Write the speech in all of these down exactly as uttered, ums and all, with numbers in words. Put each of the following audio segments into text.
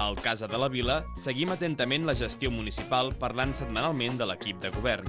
Al Casa de la Vila seguim atentament la gestió municipal parlant setmanalment de l'equip de govern.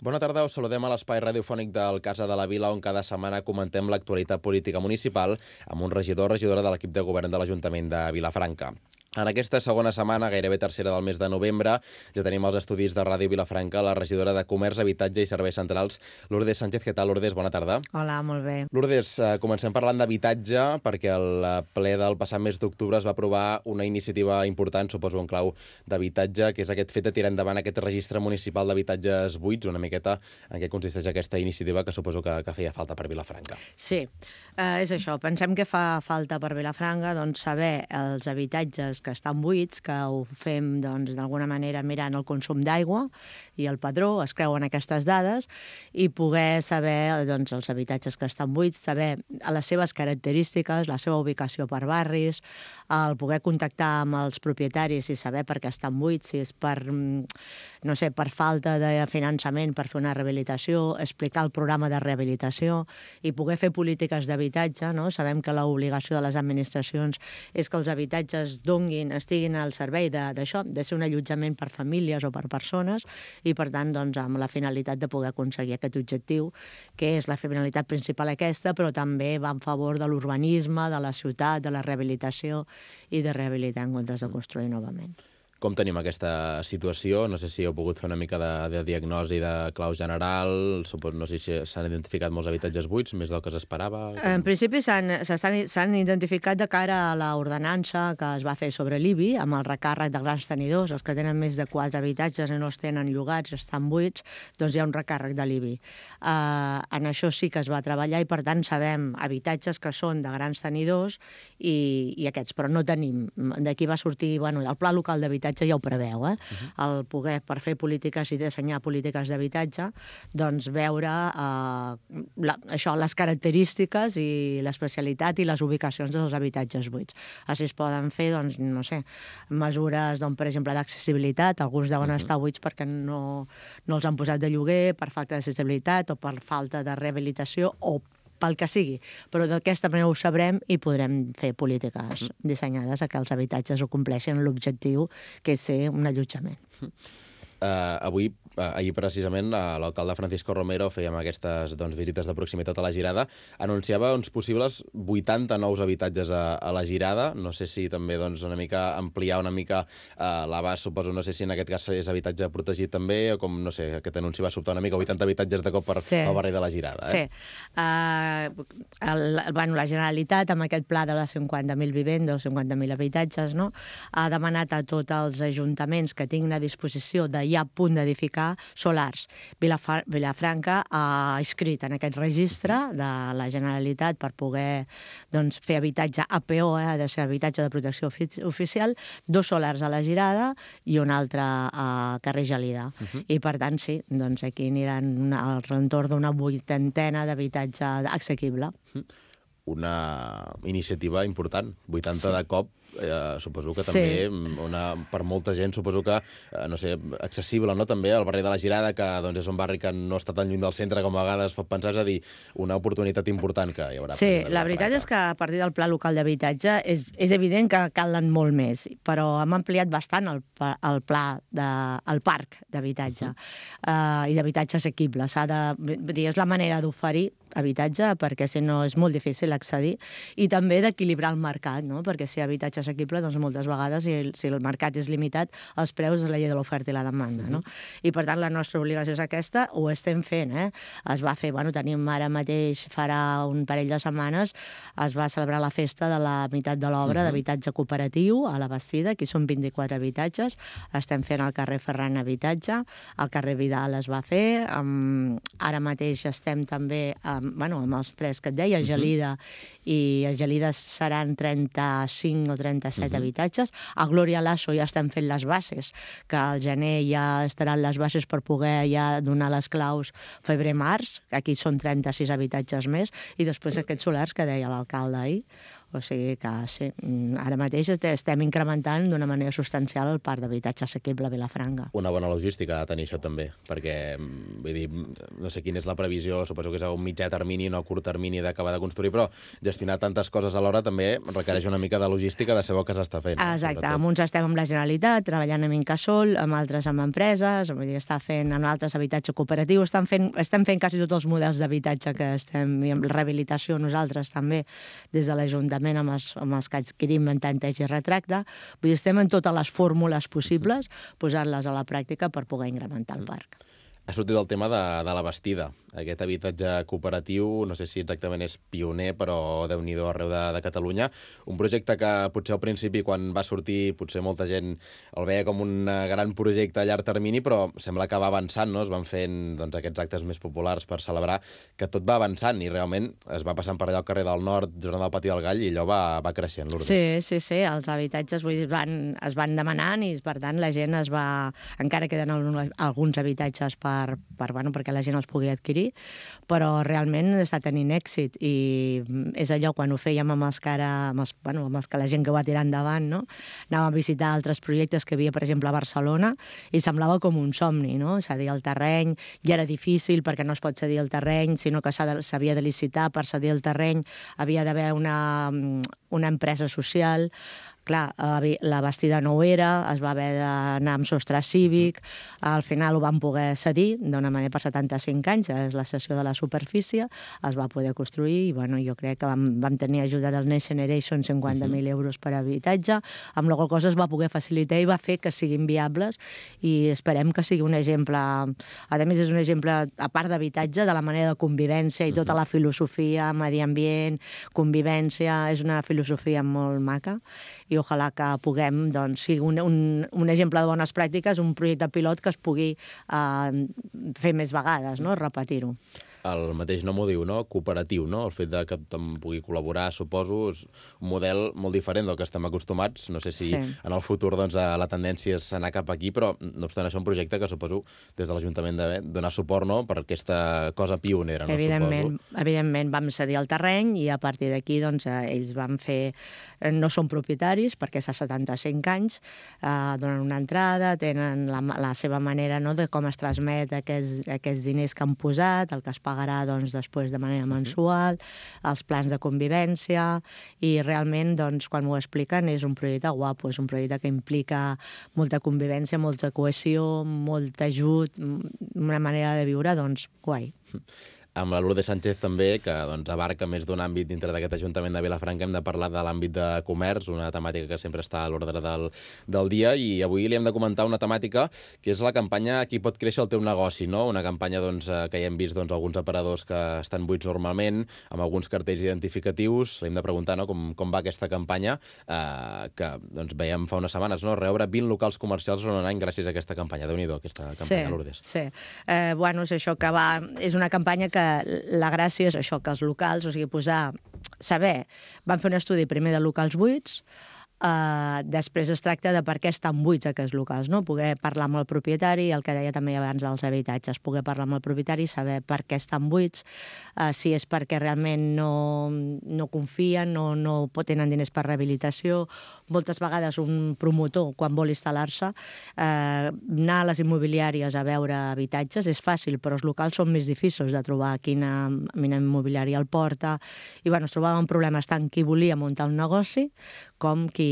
Bona tarda, us saludem a l'espai radiofònic del Casa de la Vila, on cada setmana comentem l'actualitat política municipal amb un regidor o regidora de l'equip de govern de l'Ajuntament de Vilafranca. En aquesta segona setmana, gairebé tercera del mes de novembre, ja tenim els estudis de Ràdio Vilafranca la regidora de Comerç, Habitatge i Serveis Centrals, Lourdes Sánchez. Què tal, Lourdes? Bona tarda. Hola, molt bé. Lourdes, eh, comencem parlant d'habitatge, perquè el ple del passat mes d'octubre es va aprovar una iniciativa important, suposo en clau d'habitatge, que és aquest fet de tirar endavant aquest registre municipal d'habitatges buits, una miqueta en què consisteix aquesta iniciativa que suposo que, que feia falta per Vilafranca. Sí, eh, és això. Pensem que fa falta per Vilafranca doncs, saber els habitatges que estan buits, que ho fem doncs, d'alguna manera mirant el consum d'aigua i el padró, es creuen aquestes dades, i poder saber doncs, els habitatges que estan buits, saber les seves característiques, la seva ubicació per barris, el poder contactar amb els propietaris i saber per què estan buits, si és per, no sé, per falta de finançament per fer una rehabilitació, explicar el programa de rehabilitació i poder fer polítiques d'habitatge. No? Sabem que l'obligació de les administracions és que els habitatges donguin, estiguin al servei d'això, de, de ser un allotjament per famílies o per persones, i per tant doncs, amb la finalitat de poder aconseguir aquest objectiu, que és la finalitat principal aquesta, però també va en favor de l'urbanisme, de la ciutat, de la rehabilitació i de rehabilitar en comptes de construir novament. Com tenim aquesta situació? No sé si heu pogut fer una mica de, de diagnosi de clau general, suposo, no sé si s'han identificat molts habitatges buits, més del que s'esperava. En principi s'han identificat de cara a l'ordenança que es va fer sobre l'I B I, amb el recàrrec de grans tenidors, els que tenen més de quatre habitatges i no els tenen llogats, estan buits, doncs hi ha un recàrrec de l'I B I. Uh, en això sí que es va treballar i per tant sabem habitatges que són de grans tenidors i, i aquests, però no tenim. D'aquí va sortir, bueno, el pla local d'habitatge ja ho preveu, eh? Uh-huh. El poder, per fer polítiques i dissenyar polítiques d'habitatge, doncs veure eh, la, això, les característiques i l'especialitat i les ubicacions dels habitatges buits. Així es poden fer, doncs, no sé, mesures, doncs, per exemple, d'accessibilitat. Alguns deuen uh-huh. estar buits perquè no, no els han posat de lloguer, per falta d'accessibilitat o per falta de rehabilitació o pel que sigui, però d'aquesta manera ho sabrem i podrem fer polítiques dissenyades a que els habitatges ho compleixin l'objectiu, que és ser un allotjament. Uh, avui, uh, ahir precisament, uh, l'alcalde Francisco Romero feia aquestes doncs, visites de proximitat a la Girada, anunciava uns possibles vuitanta nous habitatges a, a la Girada. No sé si també doncs, una mica ampliar una mica uh, l'abast, suposo, no sé si en aquest cas és habitatge protegit també, o com, no sé, aquest anunci va sobtar una mica, vuitanta habitatges de cop per sí. al barri de la Girada. Eh? Sí. Uh, el, bueno, la Generalitat, amb aquest pla de les cinquanta mil vivendes, cinquanta mil habitatges, no? Ha demanat a tots els ajuntaments que tinguin a disposició de ja a punt d'edificar solars. Vilafra Vilafranca ha inscrit en aquest registre de la Generalitat per poder doncs, fer habitatge A P O, eh, ha de ser habitatge de protecció ofici oficial, dos solars a la Girada i un altre a carrer Gelida. Uh-huh. I per tant, sí, doncs aquí aniran una, al entorn d'una vuitantena d'habitatge assequible. Uh-huh. Una iniciativa important, vuitanta sí. de cop. Eh, suposo que també sí. una, per molta gent suposo que, eh, no sé, accessible, no? També el barri de la Girada, que doncs, és un barri que no està tan lluny del centre com a vegades pot pensar, és a dir, una oportunitat important que hi haurà. Sí, la veritat és que a partir del pla local d'habitatge és, és evident que calen molt més, però hem ampliat bastant el, el pla, de, el parc d'habitatge uh-huh. uh, i d'habitatge assequible. S'ha de, dir, és la manera d'oferir habitatge, perquè si no és molt difícil accedir, i també d'equilibrar el mercat, no? Perquè si hi ha habitatge assequible, doncs moltes vegades, si el, si el mercat és limitat, els preus és la llei de l'oferta i la demanda, no? I per tant la nostra obligació és aquesta, ho estem fent, eh? Es va fer, bueno, tenim ara mateix, farà un parell de setmanes, es va celebrar la festa de la meitat de l'obra uh-huh. d'habitatge cooperatiu a la Bastida, aquí són vint-i-quatre habitatges, estem fent al carrer Ferran habitatge, al carrer Vidal es va fer, um, ara mateix estem també um, bueno, amb els tres que et deia, Gelida uh-huh. i a Gelida seran trenta-cinc o trenta-set uh-huh. habitatges. A Glòria Lasso ja estem fent les bases, que al gener ja estaran les bases per poder ja donar les claus febrer-març, aquí són trenta-sis habitatges més, i després aquests solars que deia l'alcalde ahir. O sigui que sí, ara mateix estem incrementant d'una manera substancial el parc d'habitatge assequible a Vilafranca. Una bona logística ha de tenir això també, perquè, vull dir, no sé quina és la previsió, suposo que és a un mitjà termini, no a curt termini d'acabar de construir, però gestionar tantes coses alhora també requereix una mica de logística de saber què s'està fent. Exacte, sobretot. amb uns estem amb la Generalitat, treballant amb Incasòl, amb altres amb empreses, vull dir, està fent amb altres habitatge cooperatiu, estan fent, estem fent quasi tots els models d'habitatge que estem, i amb rehabilitació nosaltres també, des de l'Ajuntament amb els, amb els que adquirim en tanteig i retracte. Vull dir, estem en totes les fórmules possibles, posant-les a la pràctica per poder incrementar el parc. Ha sortit el tema de, de la Bastida, aquest habitatge cooperatiu, no sé si exactament és pioner, però Déu-n'hi-do arreu de, de Catalunya. Un projecte que potser al principi, quan va sortir, potser molta gent el veia com un gran projecte a llarg termini, però sembla que va avançant, no? Es van fent doncs, aquests actes més populars per celebrar que tot va avançant i realment es va passant per allò al carrer del Nord, durant el Pati del Gall, i allò va, va creixent, Lourdes. Sí, sí, sí, els habitatges vull dir, es, van, es van demanant i, per tant, la gent es va... Encara queden alguns habitatges per Per, per, bueno, perquè la gent els pugui adquirir, però realment està tenint èxit i és allò quan ho fèiem amb els que, ara, amb els, bueno, amb els que la gent que ho va tirar endavant, no? Anàvem a visitar altres projectes que hi havia, per exemple, a Barcelona i semblava com un somni, no? Cedir el terreny, i era difícil perquè no es pot cedir el terreny, sinó que s'havia de licitar per cedir el terreny, havia d'haver una, una empresa social. Clar, la Bastida no ho era, es va haver d'anar amb sostre cívic, al final ho van poder cedir d'una manera per setanta-cinc anys, és la cessió de la superfície, es va poder construir i bueno, jo crec que vam, vam tenir ajuda del Next Generation, cinquanta mil euros per habitatge, amb la qual cosa es va poder facilitar i va fer que siguin viables i esperem que sigui un exemple, a més és un exemple, a part d'habitatge, de la manera de convivència i tota la filosofia, medi ambient, convivència, és una filosofia molt maca i ojalà que puguem, doncs, sigui un, un, un exemple de bones pràctiques, un projecte pilot que es pugui eh, fer més vegades, no? Repetir-ho. El mateix nom ho diu, no? Cooperatiu, no? El fet de que tothom pugui col·laborar, suposo, és un model molt diferent del que estem acostumats. No sé si sí. En el futur doncs, la tendència és anar cap aquí, però no obstant això un projecte que suposo des de l'Ajuntament de donar suport, no?, per aquesta cosa pionera, no? Evidentment, suposo. evidentment vam cedir el terreny i a partir d'aquí doncs, ells van fer... No són propietaris perquè és a setanta-cinc anys, eh, donen una entrada, tenen la, la seva manera, no?, de com es transmet aquests, aquests diners que han posat, el que es pagarà doncs, després de manera mensual, els plans de convivència i realment doncs, quan m'ho expliquen és un projecte guapo, és un projecte que implica molta convivència, molta cohesió, molt ajut, una manera de viure doncs, guai. Amb la Lourdes Sánchez també, que doncs, abarca més d'un àmbit dintre d'aquest Ajuntament de Vilafranca, hem de parlar de l'àmbit de comerç, una temàtica que sempre està a l'ordre del, del dia, i avui li hem de comentar una temàtica que és la campanya Aquí pot créixer el teu negoci, no? Una campanya doncs, que ja hem vist doncs, alguns aparadors que estan buits normalment, amb alguns cartells identificatius. Li hem de preguntar no? com, com va aquesta campanya, eh, que doncs, veiem fa unes setmanes, no? Reobre vint locals comercials en un any gràcies a aquesta campanya. Déu-n'hi-do, aquesta campanya, sí, Lourdes. Sí, eh, bueno, és això que va... És una campanya que la gràcia és això, que els locals, o sigui, posar, saber, van fer un estudi primer de locals buits, Uh, després es tracta de per què estan buits aquests locals, no? Poder parlar amb el propietari, el que deia també abans dels habitatges, poder parlar amb el propietari, saber per què estan buits, uh, si és perquè realment no, no confien, no, no tenen diners per rehabilitació. Moltes vegades un promotor, quan vol instal·lar-se, uh, anar a les immobiliàries a veure habitatges és fàcil, però els locals són més difícils de trobar quina, quina immobiliària el porta. I bueno, es trobaven problemes tant qui volia muntar un negoci com qui,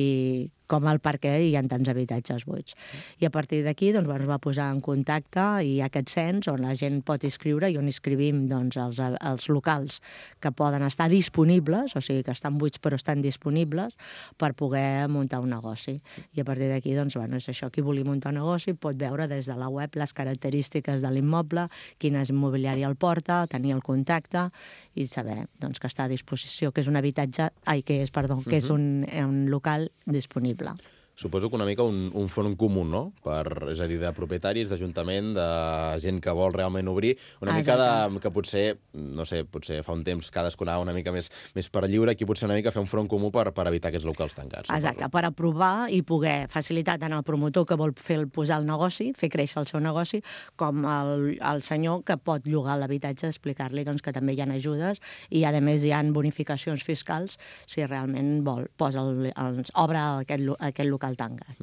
com el per què hi ha tants habitatges buits. I a partir d'aquí doncs, bueno, es va posar en contacte i hi ha aquest cens on la gent pot inscriure i on inscrivim doncs, els, els locals que poden estar disponibles, o sigui que estan buits però estan disponibles per poder muntar un negoci. I a partir d'aquí doncs, bueno, és això, qui vulgui muntar un negoci pot veure des de la web les característiques de l'immoble, quina immobiliària el porta, tenir el contacte i saber doncs, que està a disposició, que és un habitatge, ai, que és, perdó, que és un, un local disponible. Suposo que una mica un, un fons comú, no? Per, és a dir, de propietaris, d'ajuntament, de gent que vol realment obrir, una mica de, que potser, no sé, potser fa un temps cadascú anava una mica més, més per lliure, aquí potser una mica fer un front comú per, per evitar aquests locals tancats. Exacte, suposo. Per aprovar i poder facilitar tant el promotor que vol fer el, posar el negoci, fer créixer el seu negoci, com el, el senyor que pot llogar l'habitatge, explicar-li doncs, que també hi ha ajudes i, a més, hi ha bonificacions fiscals si realment vol, posa el, el, obre aquest, aquest local tancat.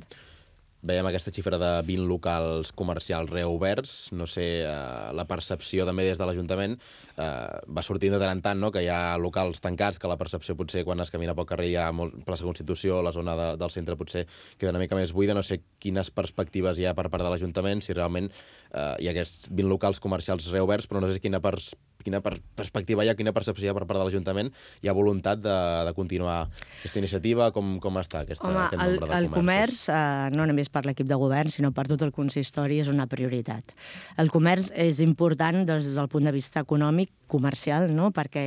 Veiem aquesta xifra de vint locals comercials reoberts. No sé, eh, la percepció també des de l'Ajuntament eh, va sortint de tant en tant, no? Que hi ha locals tancats, que la percepció potser quan es camina pel carrer hi ha molt, plaça Constitució, la zona de, del centre potser queda una mica més buida. No sé quines perspectives hi ha per part de l'Ajuntament, si realment eh, hi ha aquests vint locals comercials reoberts, però no sé quina pers quina per perspectiva hi ha, quina percepció hi ha per part de l'Ajuntament. Hi ha voluntat de, de continuar aquesta iniciativa? Com, com està aquesta, Home, aquest nombre de el, el comerç, eh, no només per l'equip de govern, sinó per tot el consistori, és una prioritat. El comerç és important des del punt de vista econòmic, comercial, no? Perquè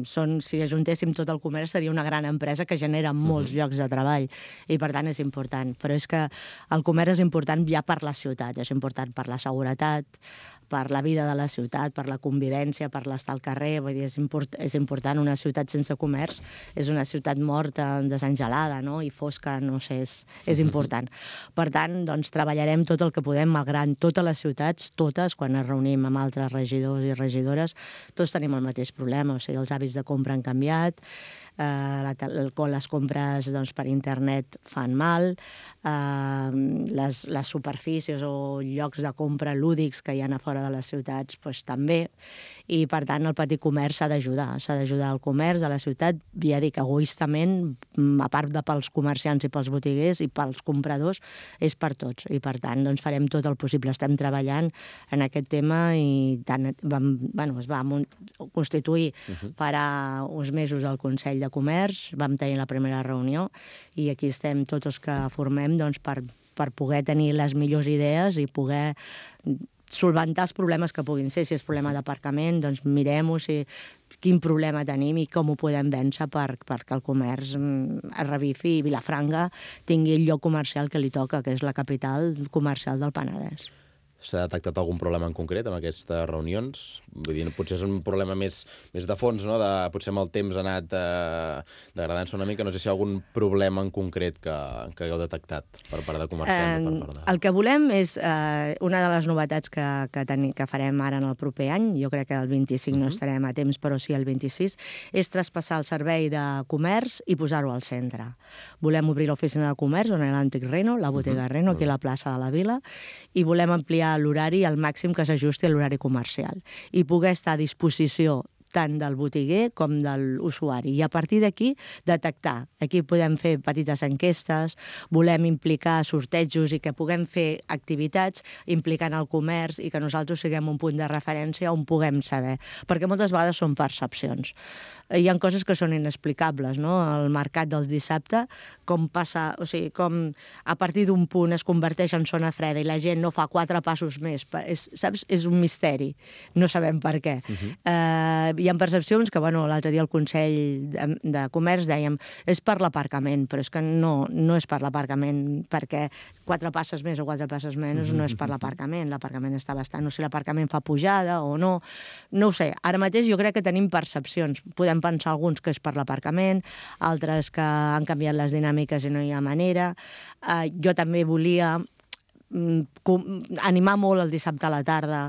són, si ajuntéssim tot el comerç seria una gran empresa que genera molts uh-huh. llocs de treball i per tant és important. Però és que el comerç és important ja per la ciutat, és important per la seguretat, per la vida de la ciutat, per la convivència, per l'estar al carrer. Vull dir, és, import, és important. Una ciutat sense comerç és una ciutat morta, desengelada, no? I fosca, no sé, és, és important. Per tant, doncs, treballarem tot el que podem, malgrat totes les ciutats, totes, quan ens reunim amb altres regidors i regidores, tots tenim el mateix problema. O sigui, els hàbits de compra han canviat, eh, la, les compres doncs, per internet fan mal, eh, les, les superfícies o llocs de compra lúdics que hi ha a fora de les ciutats doncs, també, i per tant el petit comerç s'ha d'ajudar, s'ha d'ajudar al comerç, a la ciutat, ja dic, egoistament, a part de pels comerciants i pels botiguers i pels compradors, és per tots, i per tant doncs, farem tot el possible, estem treballant en aquest tema i tant, vam, bueno, es va constituir uh-huh. farà uns mesos el Consell de Comerç, vam tenir la primera reunió i aquí estem tots els que formem doncs, per, per poder tenir les millors idees i poder solventar els problemes que puguin ser. Si és problema d'aparcament, doncs mirem-ho, si, quin problema tenim i com ho podem vèncer per, perquè el comerç es revifi i Vilafranca tingui el lloc comercial que li toca, que és la capital comercial del Penedès. S'ha detectat algun problema en concret amb aquestes reunions? Vull dir, potser és un problema més, més de fons, no? De, potser amb el temps ha anat eh, degradant-se una mica. No sé si hi ha algun problema en concret que, que hagueu detectat per part de comerciants. Eh, per part de... El que volem és, eh, una de les novetats que, que, teni, que farem ara en el proper any, jo crec que el vint-i-cinc uh-huh. no estarem a temps, però sí el vint-i-sis, és traspassar el servei de comerç i posar-ho al centre. Volem obrir l'oficina de comerç, on hi ha l'antic Reno, la botiga uh-huh. Reno, aquí a la plaça de la Vila, i volem ampliar l'horari al màxim que s'ajusti a l'horari comercial i poder estar a disposició tant del botiguer com de l'usuari. I a partir d'aquí, detectar. Aquí podem fer petites enquestes, volem implicar sortejos i que puguem fer activitats implicant el comerç i que nosaltres siguem un punt de referència on puguem saber. Perquè moltes vegades són percepcions. Hi ha coses que són inexplicables, no? El mercat del dissabte, com passa, o sigui, com a partir d'un punt es converteix en zona freda i la gent no fa quatre passos més. És, saps? És un misteri. No sabem per què. Uh-huh. eh, hi ha percepcions que, bueno, l'altre dia al Consell de, de Comerç dèiem és per l'aparcament, però és que no, no és per l'aparcament, perquè quatre passes més o quatre passes menys no és per l'aparcament. L'aparcament està bastant... No sé si l'aparcament fa pujada o no. No ho sé. Ara mateix jo crec que tenim percepcions. Podem pensar alguns que és per l'aparcament, altres que han canviat les dinàmiques i no hi ha manera. Uh, jo també volia animar molt el dissabte a la tarda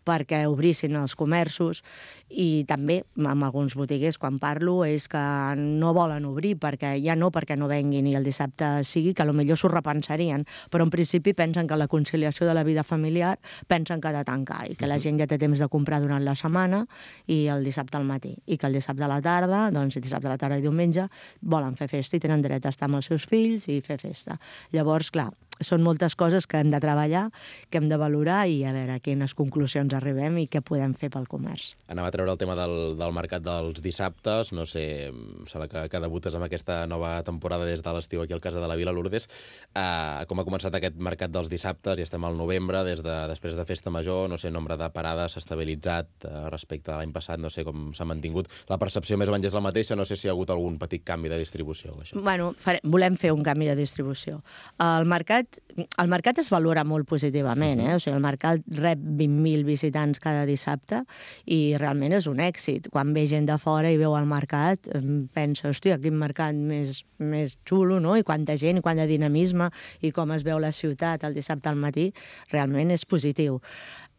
perquè obrissin els comerços i també amb alguns botiguers quan parlo és que no volen obrir perquè ja no perquè no venguin i el dissabte sigui, que potser s'ho repensarien, però en principi pensen que la conciliació de la vida familiar pensen que ha de tancar i que la gent ja té temps de comprar durant la setmana i el dissabte al matí i que el dissabte a la tarda, doncs el dissabte a la tarda i diumenge volen fer festa i tenen dret a estar amb els seus fills i fer festa. Llavors, clar, són moltes coses que hem de treballar, que hem de valorar i a veure a quines conclusions arribem i què podem fer pel comerç. Anava a treure el tema del, del mercat dels dissabtes, no sé, em sembla que, que debutes amb aquesta nova temporada des de l'estiu aquí al Casa de la Vila, Lourdes. Uh, com ha començat aquest mercat dels dissabtes, ja estem al novembre, des de, després de Festa Major, no sé, el nombre de parades s'ha estabilitzat uh, respecte a l'any passat, no sé com s'ha mantingut. La percepció més o menys és la mateixa, no sé si hi ha hagut algun petit canvi de distribució. Això. Bueno, fare, volem fer un canvi de distribució. El mercat, el mercat es valora molt positivament, eh? O sigui, el mercat rep vint mil visitants cada dissabte i realment és un èxit. Quan ve gent de fora i veu el mercat, pensa, hòstia, quin mercat més, més xulo, no? I quanta gent, i quant de dinamisme, i com es veu la ciutat el dissabte al matí, realment és positiu.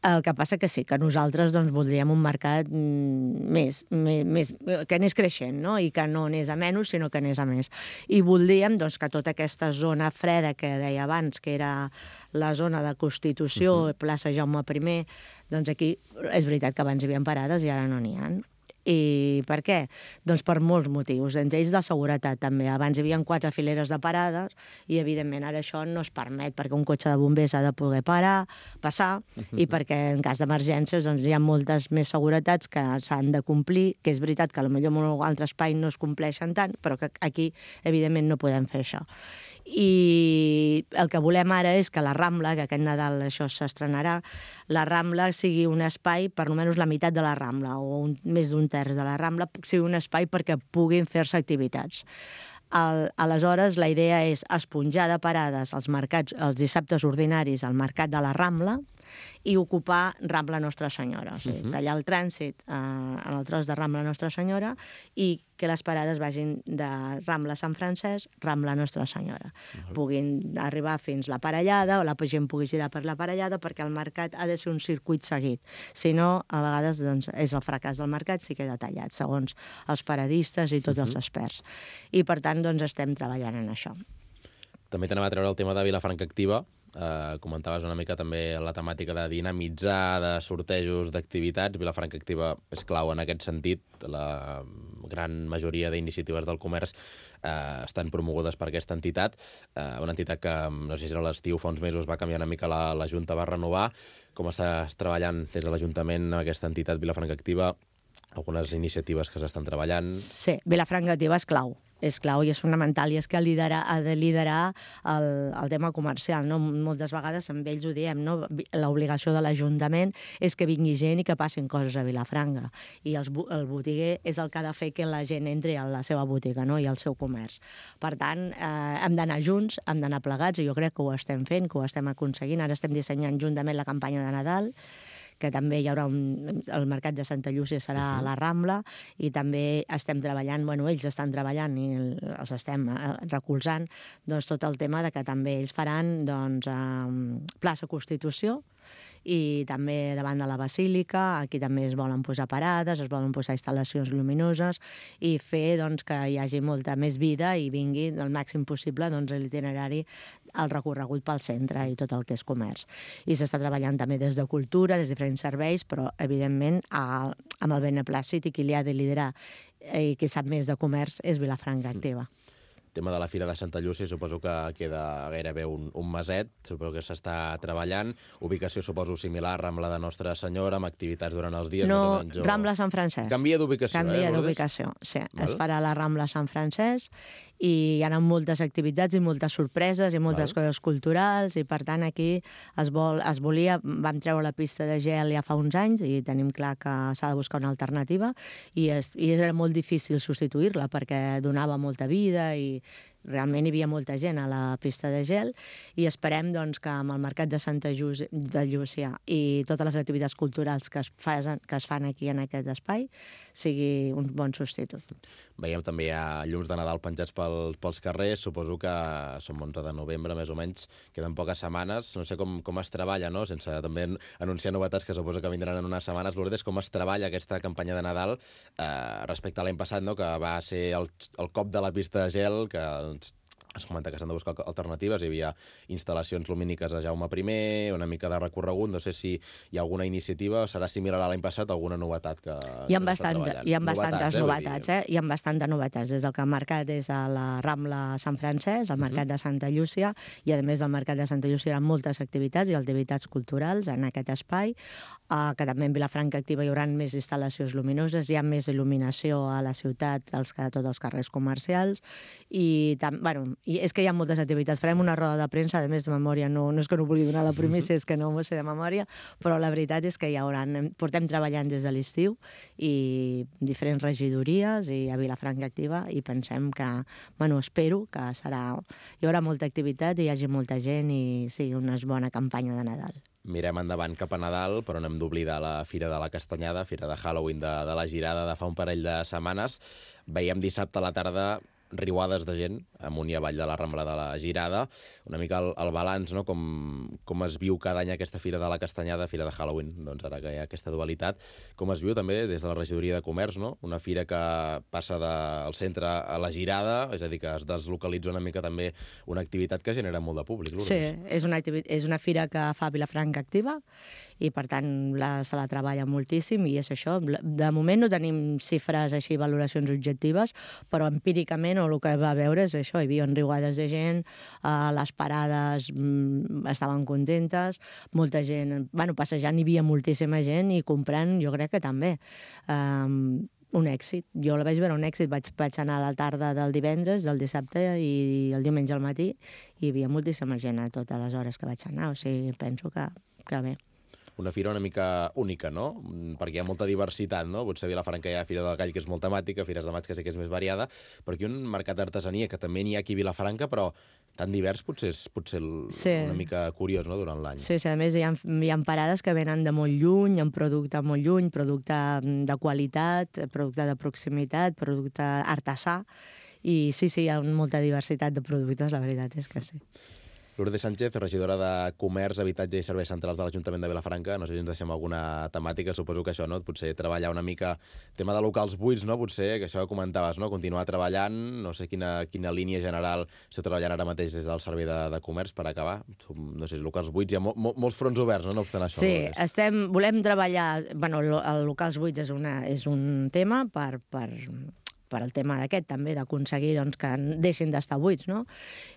El que passa que sí, que nosaltres doncs, voldríem un mercat més, més, més, que anés creixent, no? I que no anés a menys, sinó que anés a més. I voldríem doncs, que tota aquesta zona freda que deia abans, que era la zona de Constitució, uh-huh. plaça Jaume primer, doncs aquí és veritat que abans hi havia parades i ara no n'hi ha. I per què? Doncs per molts motius, entre ells de seguretat també. Abans hi havia quatre fileres de parades i, evidentment, ara això no es permet perquè un cotxe de bombers ha de poder parar, passar, uh-huh. i perquè en cas d'emergències doncs, hi ha moltes més seguretats que s'han de complir, que és veritat que potser en un altre espai no es compleixen tant, però que aquí, evidentment, no podem fer això. I el que volem ara és que la Rambla, que aquest Nadal això s'estrenarà, la Rambla sigui un espai, per almenys la meitat de la Rambla, o un, més d'un terç de la Rambla, sigui un espai perquè puguin fer-se activitats. Al, aleshores, la idea és esponjar de parades els mercats, els dissabtes ordinaris al mercat de la Rambla i ocupar Rambla Nostra Senyora, o sigui, uh-huh. tallar el trànsit eh, en el tros de Rambla Nostra Senyora i que les parades vagin de Rambla Sant Francesc, Rambla Nostra Senyora. Uh-huh. Puguin arribar fins la Parellada, o la gent pugui girar per la Parellada, perquè el mercat ha de ser un circuit seguit. Si no, a vegades doncs, és el fracàs del mercat, si queda tallat, segons els paradistes i tots uh-huh. els experts. I, per tant, doncs, estem treballant en això. També t'anava a treure el tema de Vilafranca Activa. Uh, comentaves una mica també la temàtica de dinamitzar, de sortejos, d'activitats. Vilafranca Activa és clau en aquest sentit. La gran majoria d'iniciatives del comerç uh, estan promogudes per aquesta entitat. Uh, una entitat que, no sé si era l'estiu, fa uns mesos va canviar una mica, la, la Junta va renovar. Com estàs treballant des de l'Ajuntament amb aquesta entitat Vilafranca Activa? Algunes iniciatives que s'estan treballant? Sí, Vilafranca Activa és clau. és clau i és fonamental, i és que liderar, ha de liderar el, el tema comercial. No? Moltes vegades amb ells ho diem, no? L'obligació de l'Ajuntament és que vingui gent i que passin coses a Vilafranca. I els, el botiguer és el que ha de fer que la gent entri a la seva botiga, no? I al seu comerç. Per tant, eh, hem d'anar junts, hem d'anar plegats, i jo crec que ho estem fent, que ho estem aconseguint. Ara estem dissenyant juntament la campanya de Nadal, que també hi haurà un... el mercat de Santa Llúcia serà uh-huh. a la Rambla, i també estem treballant, bueno, ells estan treballant i els estem recolzant, doncs tot el tema de que també ells faran doncs, eh, plaça Constitució, i també davant de la Basílica, aquí també es volen posar parades, es volen posar instal·lacions lluminoses i fer doncs, que hi hagi molta més vida i vingui el màxim possible doncs, l'itinerari, el recorregut pel centre i tot el que és comerç. I s'està treballant també des de cultura, des de diferents serveis, però evidentment a, amb el beneplàcit, i qui li ha de liderar i qui sap més de comerç és Vilafranca Activa. El tema de la Fira de Santa Llúcia suposo que queda gairebé un, un meset, suposo que s'està treballant. Ubicació suposo similar, Rambla de Nostra Senyora, amb activitats durant els dies. No, més o menys, o... Rambla Sant Francesc. Canvia d'ubicació, eh? Canvia d'ubicació, sí. Val. Es farà la Rambla Sant Francesc i hi ha moltes activitats i moltes sorpreses i moltes Val. Coses culturals, i per tant aquí es, vol, es volia, vam treure la pista de gel ja fa uns anys i tenim clar que s'ha de buscar una alternativa, i, és, i era molt difícil substituir-la perquè donava molta vida i realment hi havia molta gent a la pista de gel, i esperem doncs, que amb el mercat de Santa Llúcia, de Llúcia i totes les activitats culturals que es, fan, que es fan aquí en aquest espai sigui un bon substitut. Veiem també hi ha llums de Nadal penjats pel, pels carrers, suposo que som onze de novembre, més o menys, queden poques setmanes, no sé com, com es treballa, no? Sense també anunciar novetats que suposo que vindran en unes setmanes. Lourdes, com es treballa aquesta campanya de Nadal eh, respecte a l'any passat, no? Que va ser el, el cop de la pista de gel, que es comenta que s'han de buscar alternatives, hi havia instal·lacions lumíniques a Jaume I, una mica de recorregut, no sé si hi ha alguna iniciativa, serà similar a l'any passat, alguna novetat que, hi ha que bastant, treballant. Hi ha bastantes novetats, novetats, eh? Hi ha bastantes novetats, des del que el mercat és a la Rambla Sant Francesc, el mercat de Santa Llúcia, i a més del mercat de Santa Llúcia hi ha moltes activitats i activitats culturals en aquest espai, uh, que també en Vilafranca Activa hi haurà més instal·lacions luminoses, hi ha més il·luminació a la ciutat, als, a tots els carrers comercials, i, tam, bueno, i és que hi ha moltes activitats. Farem una roda de premsa, a més de memòria, no, no és que no vulgui donar la primícia, és que no m'ho sé de memòria, però la veritat és que hi haurà, portem treballant des de l'estiu i diferents regidories i a Vilafranca Activa i pensem que, bueno, espero que serà, hi haurà molta activitat i hi hagi molta gent i sigui una bona campanya de Nadal. Mirem endavant cap a Nadal, però no hem d'oblidar la Fira de la Castanyada, Fira de Halloween de, de la Girada de fa un parell de setmanes. Veiem dissabte a la tarda riuades de gent amunt i avall de la Rambla de la Girada. Una mica el, el balanç, no? com, com es viu cada any aquesta Fira de la Castanyada, Fira de Halloween, doncs ara que hi ha aquesta dualitat. Com es viu també des de la Regidoria de Comerç, no? Una fira que passa del centre a la Girada, és a dir, que es deslocalitza una mica també una activitat que genera molt de públic. Sí, és una, és una fira que fa Vilafranca Activa i per tant la, se la treballa moltíssim i és això. De moment no tenim xifres així, valoracions objectives, però empíricament el que va veure és això, hi havia riuades de gent, eh, les parades mm, estaven contentes, molta gent, bueno, passejant hi havia moltíssima gent i comprant jo crec que també. Um, un èxit. Jo la vaig veure un èxit, vaig, vaig anar a la tarda del divendres, del dissabte i el diumenge al matí i hi havia moltíssima gent a totes les hores que vaig anar, o sigui, penso que, que bé. Una fira una mica única, no? Perquè hi ha molta diversitat, no? Potser a Vilafranca hi ha Fira del Gall, que és molt temàtica, Fires de Maig, que sí que és més variada, però aquí un mercat d'artesania, que també n'hi ha aquí a Vilafranca, però tan divers potser és potser sí. una mica curiós, no?, durant l'any. Sí, sí, a més hi ha, hi ha parades que venen de molt lluny, amb producte molt lluny, producte de qualitat, producte de proximitat, producte artesà, i sí, sí, hi ha molta diversitat de productes, la veritat és que sí. Lourdes Sánchez, regidora de Comerç, Habitatge i Serveis Centrals de l'Ajuntament de Vilafranca. No sé si ens deixem alguna temàtica, suposo que això, no? Potser treballar una mica tema de locals buits, no? Potser, que això que comentaves, no? Continuar treballant, no sé quina, quina línia general esteu treballant ara mateix des del Servei de, de Comerç per acabar. No sé, locals buits, hi ha mo, mo, molts fronts oberts, no? No obstant això. Sí, estem, volem treballar... Bueno, el locals buits és, una, és un tema per... per per el tema d'aquest, també, d'aconseguir doncs, que deixin d'estar buits, no?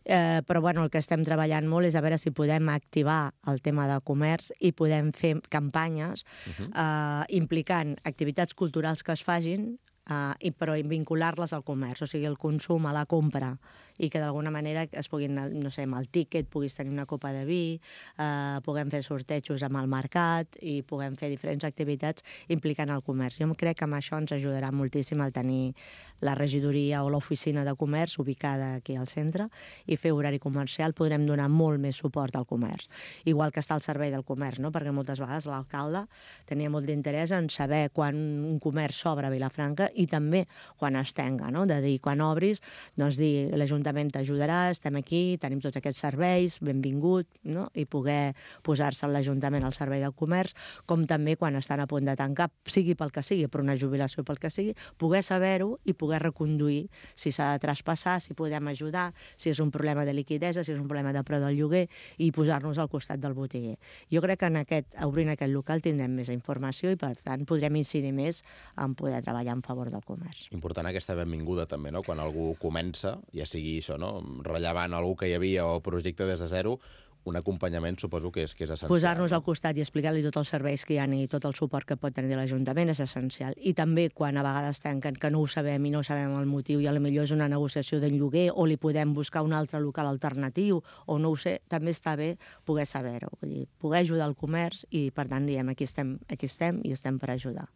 Eh, però bueno, el que estem treballant molt és a veure si podem activar el tema de comerç i podem fer campanyes uh-huh. eh, implicant activitats culturals que es facin, eh, i, però vincular-les al comerç, o sigui, el consum a la compra, i que d'alguna manera es puguin, no sé, amb el tíquet puguis tenir una copa de vi, eh, puguem fer sortejos amb el mercat i puguem fer diferents activitats implicant el comerç. Jo crec que amb això ens ajudarà moltíssim el tenir la regidoria o l'oficina de comerç ubicada aquí al centre i fer horari comercial, podrem donar molt més suport al comerç. Igual que està el servei del comerç, no? Perquè moltes vegades l'alcalde tenia molt d'interès en saber quan un comerç s'obre a Vilafranca i també quan es tenga, no? De dir, quan obris, doncs dir, l'Ajuntament t'ajudarà, estem aquí, tenim tots aquests serveis, benvingut, no? I poder posar-se l'Ajuntament al servei del comerç, com també quan estan a punt de tancar, sigui pel que sigui, per una jubilació pel que sigui, poder saber-ho i poder reconduir si s'ha de traspassar, si podem ajudar, si és un problema de liquidesa, si és un problema de preu del lloguer, i posar-nos al costat del botiguer. Jo crec que en aquest, obrint aquest local tindrem més informació i, per tant, podrem incidir més en poder treballar en favor del comerç. Important aquesta benvinguda també, no? Quan algú comença, ja sigui això, no? Rellevant algú que hi havia o projecte des de zero, un acompanyament suposo que és, que és essencial. Posar-nos no? al costat i explicar-li tots els serveis que hi ha i tot el suport que pot tenir l'Ajuntament és essencial. I també quan a vegades tanquen que no ho sabem i no sabem el motiu i potser és una negociació del lloguer o li podem buscar un altre local alternatiu o no ho sé, també està bé poder saber-ho, vull dir, poder ajudar el comerç i per tant diem aquí estem, aquí estem i estem per ajudar.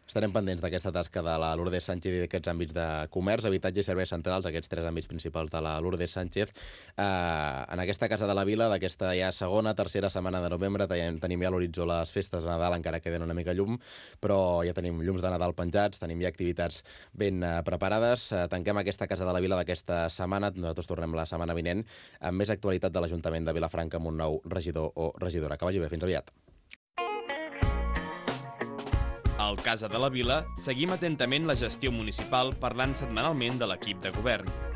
Estarem pendents d'aquesta tasca de la Lourdes Sánchez i d'aquests àmbits de comerç, habitatge i serveis centrals, aquests tres àmbits principals de la Lourdes Sánchez. Eh, en aquesta Casa de la Vila, d'aquesta ja segona, tercera setmana de novembre, tenim ja a l'horitzó les festes de Nadal, encara queden una mica llum, però ja tenim llums de Nadal penjats, tenim ja activitats ben eh, preparades. Eh, tanquem aquesta Casa de la Vila d'aquesta setmana, nosaltres tornem la setmana vinent, amb més actualitat de l'Ajuntament de Vilafranca amb un nou regidor o regidora. Que vagi bé, fins aviat. Al Casa de la Vila seguim atentament la gestió municipal parlant setmanalment de l'equip de govern.